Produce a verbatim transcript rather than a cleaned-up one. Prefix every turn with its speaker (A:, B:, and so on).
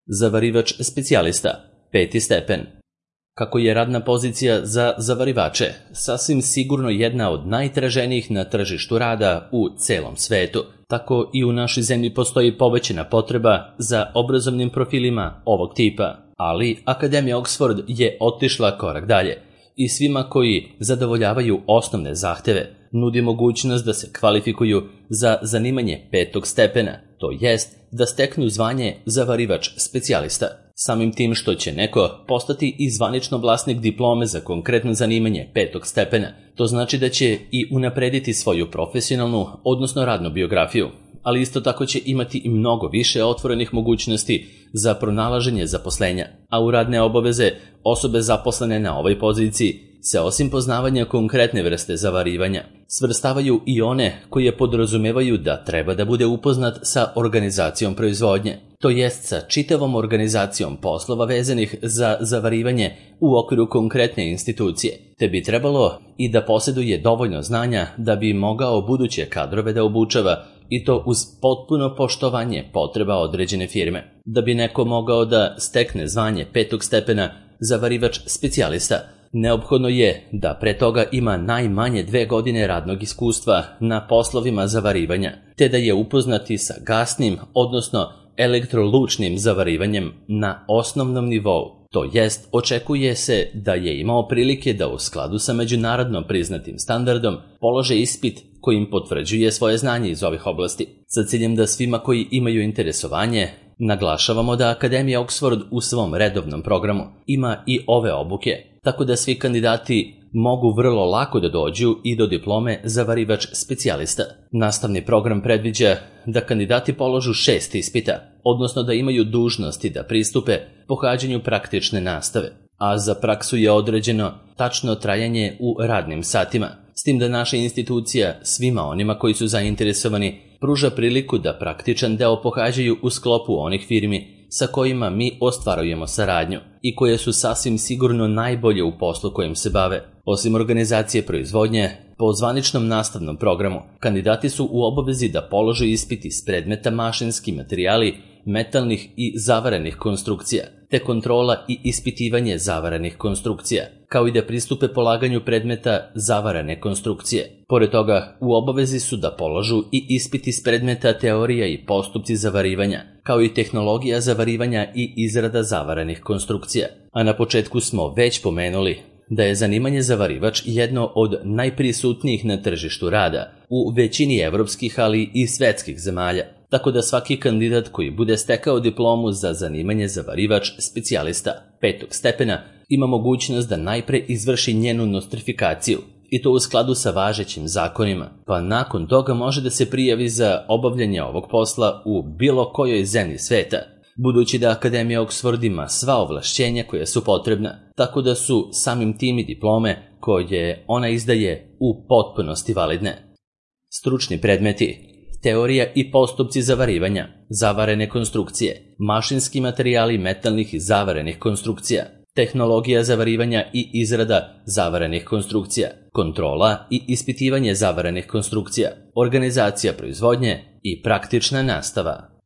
A: Zavarivač specijalista, peti stepen. Kako je radna pozicija za zavarivače sasvim sigurno jedna od najtraženijih na tržištu rada u celom svetu, tako i u našoj zemlji postoji povećana potreba za obrazovnim profilima ovog tipa, ali Akademija Oxford je otišla korak dalje i svima koji zadovoljavaju osnovne zahteve nudi mogućnost da se kvalifikuju za zanimanje petog stepena, to jest da steknu zvanje zavarivač specijalista. Samim tim što će neko postati i zvanično vlasnik diplome za konkretno zanimanje petog stepena, to znači da će i unaprediti svoju profesionalnu, odnosno radnu biografiju, ali isto tako će imati i mnogo više otvorenih mogućnosti za pronalaženje zaposlenja, a u radne obaveze osobe zaposlene na ovoj poziciji se osim poznavanja konkretne vrste zavarivanja svrstavaju i one koje podrazumevaju da treba da bude upoznat sa organizacijom proizvodnje, to jest sa čitavom organizacijom poslova vezanih za zavarivanje u okviru konkretne institucije, te bi trebalo i da posjeduje dovoljno znanja da bi mogao buduće kadrove da obučava i to uz potpuno poštovanje potreba određene firme. Da bi neko mogao da stekne zvanje petog stepena zavarivač specijalista, neophodno je da pre toga ima najmanje dve godine radnog iskustva na poslovima zavarivanja, te da je upoznati sa gasnim, odnosno elektrolučnim zavarivanjem na osnovnom nivou. To jest, očekuje se da je imao prilike da u skladu sa međunarodno priznatim standardom polože ispit kojim potvrđuje svoje znanje iz ovih oblasti. Sa ciljem da svima koji imaju interesovanje, naglašavamo da Akademija Oxford u svom redovnom programu ima i ove obuke, tako da svi kandidati mogu vrlo lako da dođu i do diplome zavarivač specijalista. Nastavni program predviđa da kandidati položu šest ispita, odnosno da imaju dužnosti da pristupe pohađanju praktične nastave, a za praksu je određeno tačno trajanje u radnim satima, s tim da naša institucija svima onima koji su zainteresovani pruža priliku da praktičan deo pohađaju u sklopu onih firmi sa kojima mi ostvarujemo saradnju i koje su sasvim sigurno najbolje u poslu kojim se bave. Osim organizacije proizvodnje, po zvaničnom nastavnom programu, kandidati su u obavezi da polože ispit iz predmeta mašinski materijali, metalnih i zavarenih konstrukcija, te kontrola i ispitivanje zavarenih konstrukcija, kao i da pristupe polaganju predmeta zavarane konstrukcije. Pored toga, u obavezi su da položu i ispit iz predmeta teorija i postupci zavarivanja, kao i tehnologija zavarivanja i izrada zavaranih konstrukcija. A na početku smo već pomenuli da je zanimanje zavarivač jedno od najprisutnijih na tržištu rada u većini evropskih, ali i svetskih zemalja, tako da svaki kandidat koji bude stekao diplomu za zanimanje zavarivač specijalista petog stepena ima mogućnost da najpre izvrši njenu nostrifikaciju, i to u skladu sa važećim zakonima, pa nakon toga može da se prijavi za obavljanje ovog posla u bilo kojoj zemlji sveta, budući da Akademija Oxford ima sva ovlašćenja koja su potrebna, tako da su samim tim i diplome koje ona izdaje u potpunosti validne. Stručni predmeti: teorija i postupci zavarivanja, zavarene konstrukcije, mašinski materijali metalnih i zavarenih konstrukcija, tehnologija zavarivanja i izrada zavarenih konstrukcija, kontrola i ispitivanje zavarenih konstrukcija, organizacija proizvodnje i praktična nastava.